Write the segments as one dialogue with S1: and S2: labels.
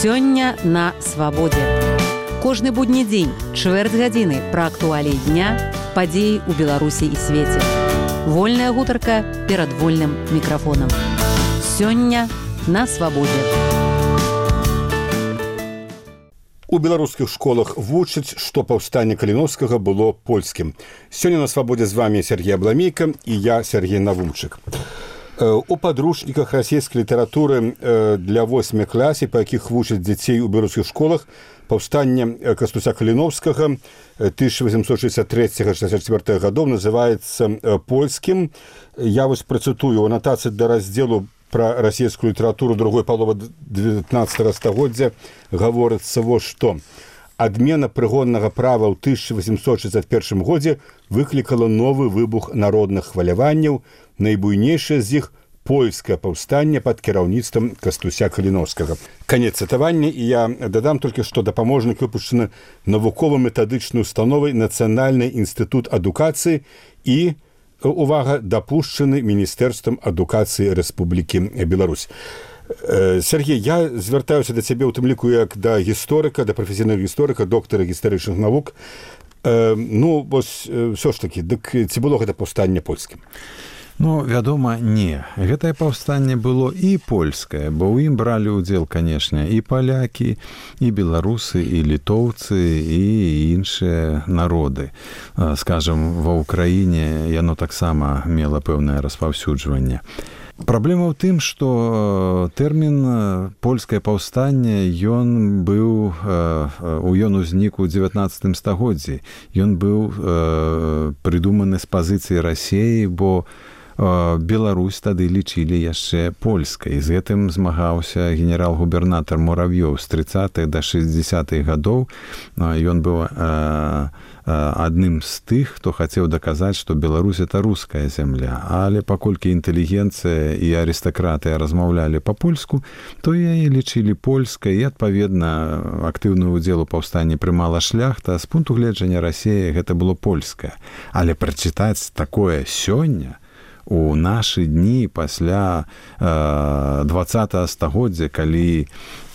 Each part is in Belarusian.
S1: Сёння на свабодзе. Кожны будні дзень, чвэрць гадзіны пра актуаліі дня, падзеі ў Беларусі і свеце. Вольная гутарка перад вольным мікрафонам. Сёння на свабодзе.
S2: У беларускіх школах вучаць, што паўстанне Каліноўскага было польскім. Сёння на свабодзе з вами Сергей Абламейка і я, Сергей Навумчык. У падручніках расійскай літаратуры для 8 класе, па якіх вучаць дзяцей у беларускіх школах, паўстанне Кастуся Каліноўскага 1863-64 гадоў называецца польскім. Я вось працытую у анатацыі да раздзелу пра расійскую літаратуру другой паловы 19 стагоддзя гаворыцца вось што. Адмена прыгоннага права ў 1861 годзе выклікала новы выбух народных хваляванняў, найбуйнейшае з іх польскае паўстанне пад кіраўніцтвам Кастуся Каліноўскага. Канец цытавання, і я дадам толькі, што дапаможнік выпушчаны навукова-метадычнай установай Нацыянальны інстытут адукацыі і, увага, дапушчаны Міністэрствам адукацыі Рэспублікі Беларусь. Сергей, я звяртаюся да цябе ў тым ліку як да гісторыка, да прафесійнага гісторыка, доктара гістарычных навук. Вось, ўсё ж такі, дык ці было гэта паўстанне польскім?
S3: Вядома, не. Гэтае паўстанне было і польскае, бо ў ім бралі ўдзел, канешне, і палякі, і беларусы, і літоўцы, і іншыя народы. Скажам, ва ўкраіне яно таксама мела пэўнае распаўсюджванне. Праблема ў тым, што тэрмін польскае паўстанне, ён узнік у 19 стагоддзі. Ён быў прыдуманы з пазіцыі Расіі, бо Беларусь тады лічылі яшчэ польскай. З гэтым змагаўся генерал-губернатар Мурав'ёў з 30-х да 60-х гадоў. Ён быў адным з тых, хто хацеў даказаць, што Беларусь – это руская зямля. Але паколькі інтэлігенцыя і арыстакратыя размаўлялі па-польску, то яе лічылі польскай, і, адпаведна, актыўны ўдзел у паўстанні прымала шляхта. З пункту гледжання Расіі гэта было польскае. Але прачытаць такое сёння, у нашы дні пасля 20-го стагоддзя, калі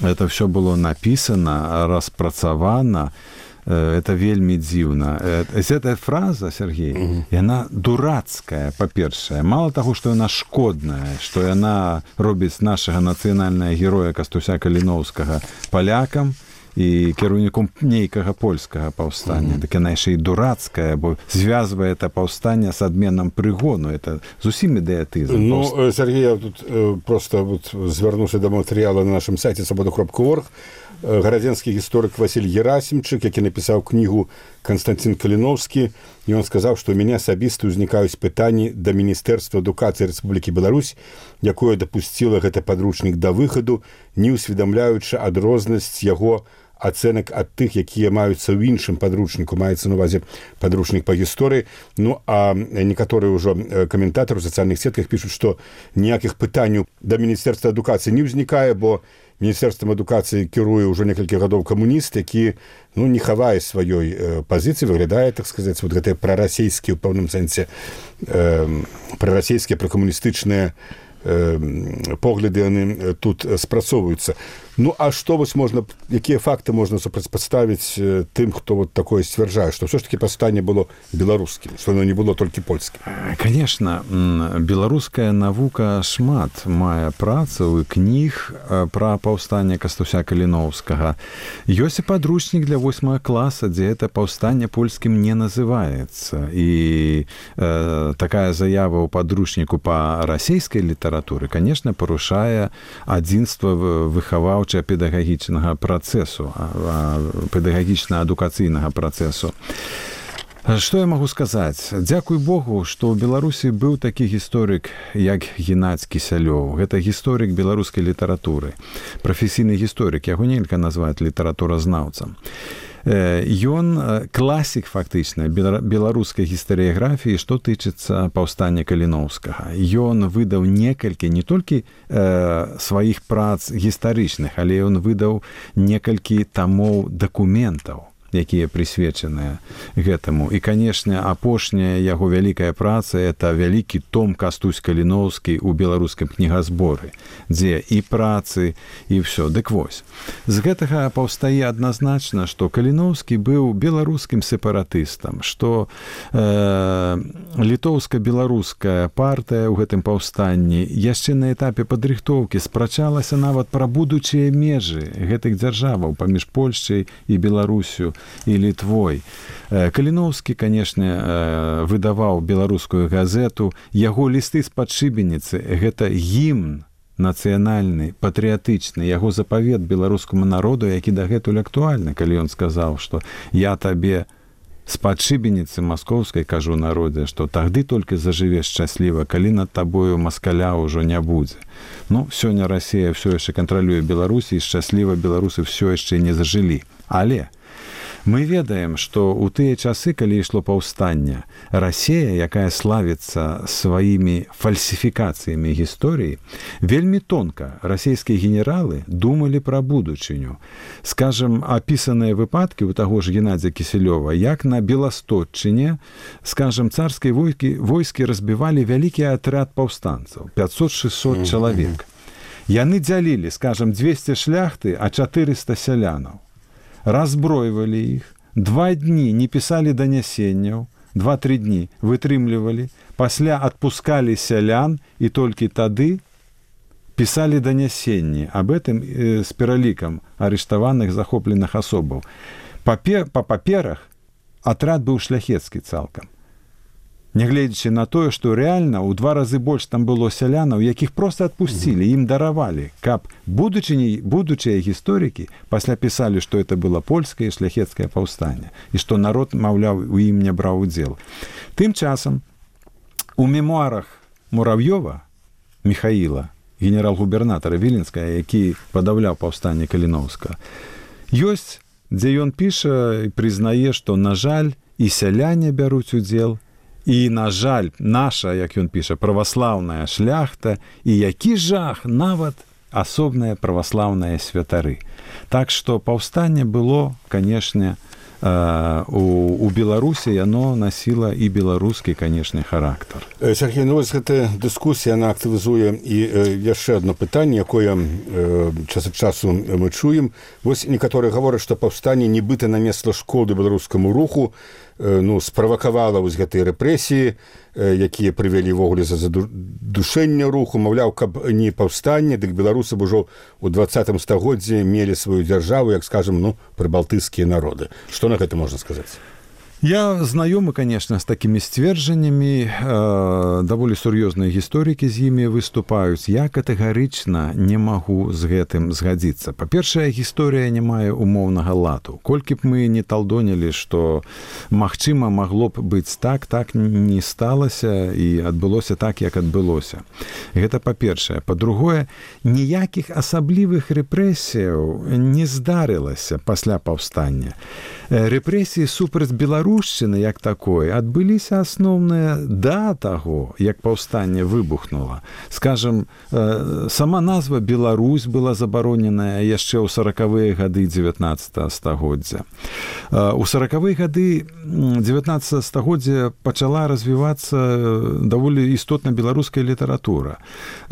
S3: это ўсё было напісана, распрацавана, это вельмі дзіўна. Гэтая фраза, Сергей, яна дурацкая, па-першае. Мала таго, што яна шкодная, што яна робіць нашага нацыянальнага героя Кастуся Каліноўскага палякам і кіраўніком нейкага польскага паўстання. Так яна яшчэ і дурацкая, бо звязвае это паўстанне з адменам прыгону. Это зусім ідыятызм.
S2: Сергей, я тут просто звярнуўся да матэрыяла на нашым сайце свабода.орг. Гарадзенскі гісторык Васіль Герасімчык, які напісаў кнігу «Канстантин Каліноўскі», і ён сказаў, што ў мяне асабіста ўзнікаюць пытанні да Міністэрства адукацыі Рэспублікі Беларусь, якое дапусціла гэты падручнік да выхаду, не ўсведамляючы адрознасць яго ацэнак ад тых, якія маюцца ў іншым падручніку, маецца на увазе падручнік па гісторыі. А некаторыя ўжо каментатары ў сацыяльных сетках пішуць, што ніякіх пытанняў да Міністэрства адукацыі не ўзнікае, бо Міністэрствам адукацыі кіруе ўжо некалькі гадоў камуніст, які не хавае сваёй пазіцыі, выглядае, так сказаць, гэтыя прарасійскія, ў пэўным сэнсе, прарасійскія, пракамуністычныя погляды яны тут спрацоўваюцца. А што вось можна, якія факты можна супрацьпаставіць тым, хто такое сцвярджае, што ўсё ж такі паўстанне было беларускім, што оно не было толькі польскім?
S3: Конечно, беларуская навука шмат мае працаў і кніг пра паўстанне Кастуся Каліноўскага. Ёсць і падручнік для 8 класа, дзе это паўстанне польскім не называецца. І такая заява ў падручніку па расійскай літаратуры, конечно, парушае адзінства выхаваўча-педагагічнага працэсу, педагагічна-адукацыйнага працэсу. Што я магу сказаць? Дзякуй Богу, што ў Беларусі быў такі гісторык, як Геннадзь Кісялёў. Гэта гісторык беларускай літаратуры. Прафесійны гісторык, яго нельга назваць літаратуразнаўцам. Ён класік, фактычна, беларускай гістарыяграфіі, што тычыцца паўстання Каліноўскага. Ён выдаў некалькі, не толькі сваіх прац гістарычных, але ён выдаў некалькі тамоў дакументаў. якія прысвечаныя гэтаму. І, канешне, апошняя яго вялікая праца – это вялікі том Кастусь Каліноўскі ў беларускім кнігазборы, дзе і працы, і ўсё. Дык вось. З гэтага паўстае адназначна, што Каліноўскі быў беларускім сепаратыстам, што літоўска-беларуская партыя ў гэтым паўстанні яшчэ на этапе падрыхтоўкі спрачалася нават пра будучыя межы гэтых дзяржаваў паміж Польшчай і Беларусю і Літвой. Каліноўскі, канешне, выдаваў беларускую газету. Яго лісты з-пад шыбеніцы – гэта гімн нацыянальны, патрыятычны, яго запавет беларускаму народу, які дагэтуль актуальны, калі ён сказаў, што я табе з-пад шыбеніцы маскоўскай кажу народзе, што тагды толькі зажывеш шчасліва, калі над табою маскаля ўжо не будзе. Ну, сёння Расія ўсё яшчэ кантралюе Беларусі, і шчасліва беларусы ўсё яшчэ не зажылі. Але мы ведаем, што ў тыя часы, калі ішло паўстанне, Расія, якая славіцца сваімі фальсіфікацыямі гісторыі, вельмі тонка расійскія генералы думалі пра будучыню. Скажам, апісаныя выпадкі у таго ж Геннадзя Кісялёва, як на Беластотчыне, скажам, царскія войскі разбівалі вялікі атрад паўстанцаў, 500-600 чалавек. Яны дзялілі, скажам, 200 шляхты, а 400 сялянаў. Разбройвалі іх, 2 дні не пісалі данясенняў, 2-3 дні вытрымлівалі, пасля адпускалі сялян і толькі тады пісалі данясенні аб гэтым з пералікам арыштаваных захопленых асобаў. Па паперах атрад быў шляхецкі цалкам. Нягледзячы на тое, што рэальна ў 2 разы больш там было сялянаў, якіх проста адпусцілі, ім даравалі, каб будучыя гісторыкі пасля пісалі, што это было польскае і шляхецкае паўстанне, і што народ, маўляў, у ім не браў удзел. Тым часам у мемуарах Мурав'ёва Міхаіла, генерал-губернатара Віленскага, які падаўляў паўстанне Каліноўска, ёсць, дзе ён піша і прызнае, што, на жаль, і сяляне бяруць удзел, і, на жаль, наша, як ён піша, праваслаўная шляхта, і які жах, нават асобныя праваслаўныя святары. Так што паўстанне было, канешне, у Беларусі яно насіла і беларускі, канешне, характар.
S2: Сергей, ну вось гэтая дыскусія, яна актывізуе і яшчэ одно пытанне, якое час ад часу мы чуем. Вось некаторыя гавораць, што паўстанне нібыта нанесла шкоду беларускаму руху, ну, справакавала вось гэтыя рэпрэсіі, якія прывялі ўвогуле за задушэнне руху, маўляў, каб не паўстанне, дык беларусы б ужо ў 20 стагоддзі мелі сваю дзяржаву, як, скажам, ну, прыбалтыйскія народы. Што на гэта можна сказаць?
S3: Я знаёмы, конечно, з такімі сцверджаннямі, даволі сур'ёзныя гісторыкі з імі выступаюць. Я катэгарычна не магу з гэтым згадзіцца. Па-першае, гісторыя не мае умоўнага ладу. Колькі б мы не талдонілі, што магчыма магло б быць так, так не сталася і адбылося так, як адбылося. Гэта па-першае. Па-другое, ніякіх асаблівых рэпрэсіяў не здарылася пасля паўстання. Рэпрэсіі супраць беларушчыны, як такое, адбыліся асноўныя да таго, як паўстанне выбухнула. Скажам, сама назва Беларусь была забароненая яшчэ ў 40-е гады 19 стагоддзя. У 40-е гады 19 стагоддзя пачала развівацца даволі істотна беларуская літаратура.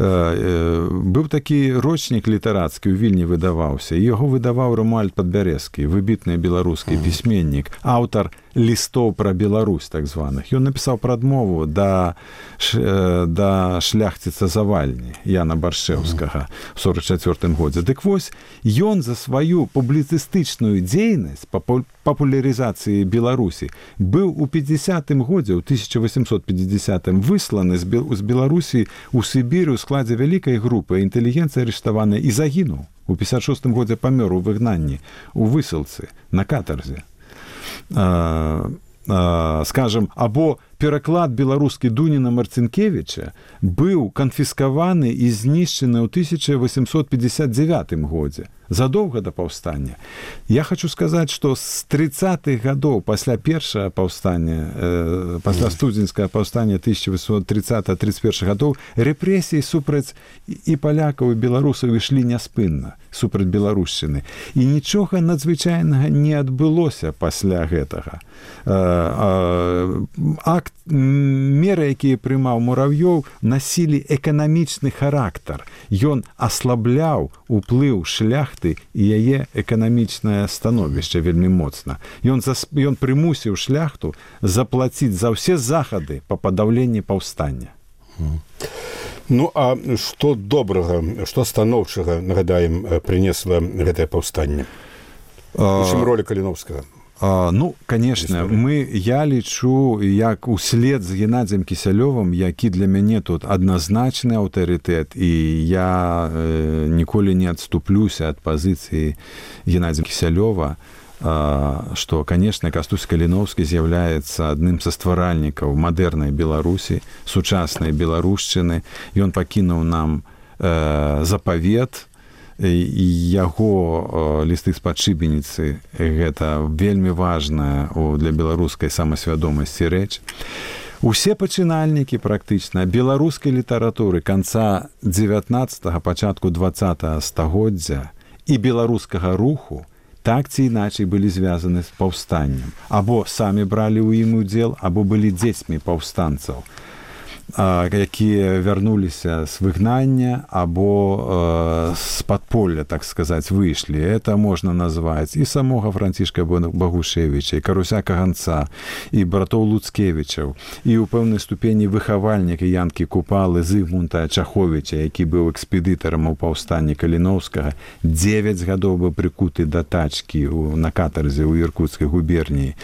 S3: Быў такі рочнік літарацкі, у Вільні выдаваўся. Яго выдаваў Ромуальд Падбярэзкі, выбітны беларускі пісьменнік, аўтар лістоў пра Беларусь, так званых. Ён напісаў прадмову да шляхціца Завальні, Яна Баршэўскага, в 44-м годзе. Дык вось, ён за сваю публіцыстычную дзейнасць па папулярызацыі Беларусі быў у 50-м годзе, у 1850-м, высланы з Беларусі ў Сібіры ў складзе вялікай групы, інтэлігенцыя арыштаваная, і загінуў. У 56-м годзе памёр у выгнанні, у высылцы, на катарзе. Скажем, або пераклад беларускі Дуніна Марцінкевіча быў канфіскаваны і знішчаны ў 1859 годзе, задоўга да паўстання. Я хочу сказаць, што з 30-х гадоў пасля першага паўстання, пасля студзеньскага паўстання 1830-31 гадоў, рэпрэсіі супраць і палякаў, і беларусаў ішлі няспынна, супраць беларушчыны. І нічога надзвычайнага не адбылося пасля гэтага. Меры, якія прымаў Мурав'ёў, насілі эканамічны характар. Ён аслабляў уплыў шляхты і яе эканамічнае становішча вельмі моцна. Ён прымусіў шляхту заплаціць за ўсе захады па падаўленні паўстання.
S2: Ну, а што добрага, што станоўчага, нагадаем, прынесла гэтае паўстанне? У чым роля Каліновскага?
S3: Ну, конечно, я лічу, як услед з Геннадзем Кісялёвым, які для мяне тут адназначны аўтарытэт, і я ніколі не адступлюся ад пазіцыі Геннадзя Кісялёва, што, конечно, Кастусь Каліновскі з'яўляецца адным са стваральнікаў мадэрнай Беларусі, сучаснай беларушчыны. Ён пакінуў нам запавет, яго лісты з-пад шыбеніцы гэта вельмі важная для беларускай самасвядомасці рэч. Усе пачынальнікі практычна беларускай літаратуры канца 19-го, пачатку 20-го стагоддзя і беларускага руху так ці іначай былі звязаны з паўстаннем. Або самі бралі ў ім удзел, або былі дзецьмі паўстанцаў, якія вярнуліся з выгнання або з падполля, так сказаць, выйшлі. Это можна назваць і самога Францішка Багушевіча, і Каруся Каганца, і братоў Луцкевічаў, і ў пэўнай ступені выхавальнік Янкі Купалы Зыгмунта Чаховіча, які быў экспедытарам у паўстанні Каліновскага, 9 гадоў быў прыкуты да тачкі на катарзе ў Іркуцкай губерніі.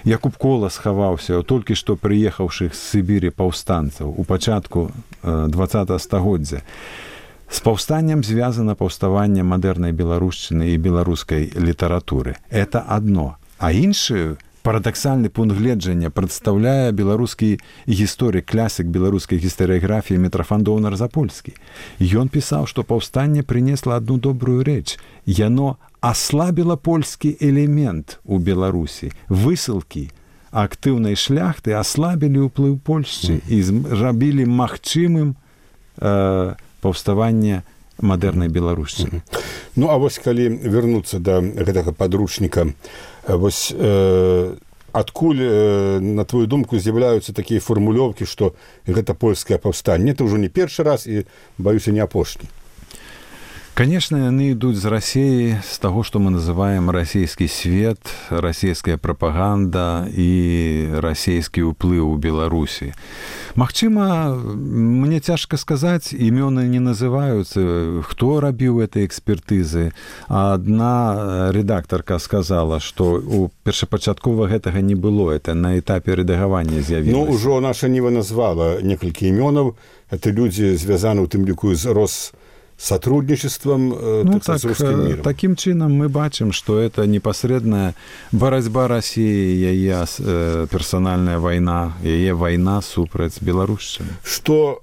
S3: Якуб Кола схаваўся толькі што прыехаўшых з Сібірі паўстанцаў у пачатку 20-го стагоддзя. З паўстаннем звязана паўставанне мадэрнай беларушчыны і беларускай літаратуры. Это адно. А іншую парадаксальны пункт гледжання прадстаўляе беларускі гісторык, класік беларускай гістарыяграфіі Мітрафан Доўнар-Запольскі. Ён пісаў, што паўстанне прынесла адну добрую рэч. Яно аслабіла польскі элемент у Беларусі. Высылкі актыўнай шляхты аслабілі ўплыў Польшчы і зрабілі магчымым паўставанне мадэрнай беларушчыны.
S2: Ну, а вось калі вярнуцца да гэтага падручніка, вось адкуль, на твою думку, з'яўляюцца такія фармулёўкі, што гэта польскае паўстанне? Это ўжо не першы раз і, баюся, не апошні.
S3: Конечно, яны ідуць з Расіі, з таго, што мы называем расійскі свет, расійская прапаганда і расійскі ўплыў у Беларусі. Магчыма, мне цяжка сказаць, імёны не называюцца, хто рабіў этой экспертызы. Адна рэдактарка сказала, што у першапачаткова гэтага не было, это на этапе рэдагавання з'явілася.
S2: Ну, ужо наша Ніва назвала некалькі імёнаў, это людзі звязаны ў тым ліку з сотрудничеством с русским миром.
S3: Таким чином мы бачим, что это непосредная борьба России, яе персональная война, яе война супраць беларушчыны.
S2: Что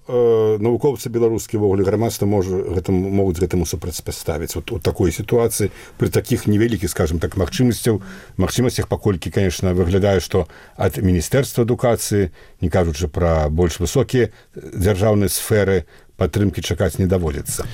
S2: навукоўцы беларускія ввогуле грамадства могуць гэтаму супрацьпаставіць вот у такой сітуацыі при таких невялікіх, скажем так, магчымасцях, паколькі, конечно, выглядае, што ад міністэрства адукацыі, не кажучы пра больш высокія дзяржаўныя сферы, падтрымкі чакаць не даводзіцца.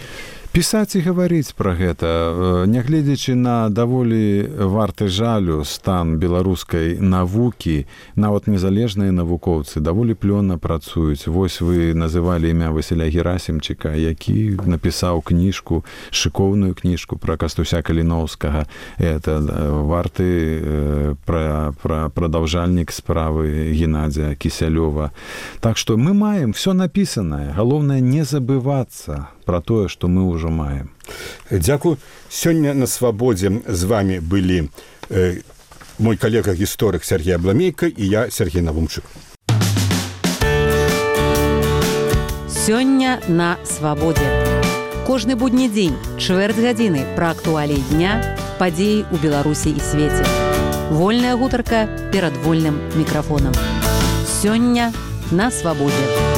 S3: Пісаць і гаварыць пра гэта, нягледзячы на даволі варты жалю стан беларускай навукі, нават незалежныя навукоўцы даволі плённа працуюць. Вось вы называлі імя Васіля Герасімчыка, які напісаў кніжку, шыкоўную кніжку пра Кастуся Каліновскага. Это варты прадаўжальнік справы Геннадзя Кісялёва. Так што мы маем всё напісанае. Галоўнае не забывацца про тое, што мы ўжо маем.
S2: Дзякую. Сёння на свабодзе з вами былі мой калега-гісторык Сергей Абламейка і я, Сергей Навумчык.
S1: Сёння на свабодзе. Кожны будні дзень, чвэрць гадзіны пра актуаліі дня, падзеі ў Беларусі і свеце. Вольная гутарка перад вольным мікрафонам. Сёння на свабодзе.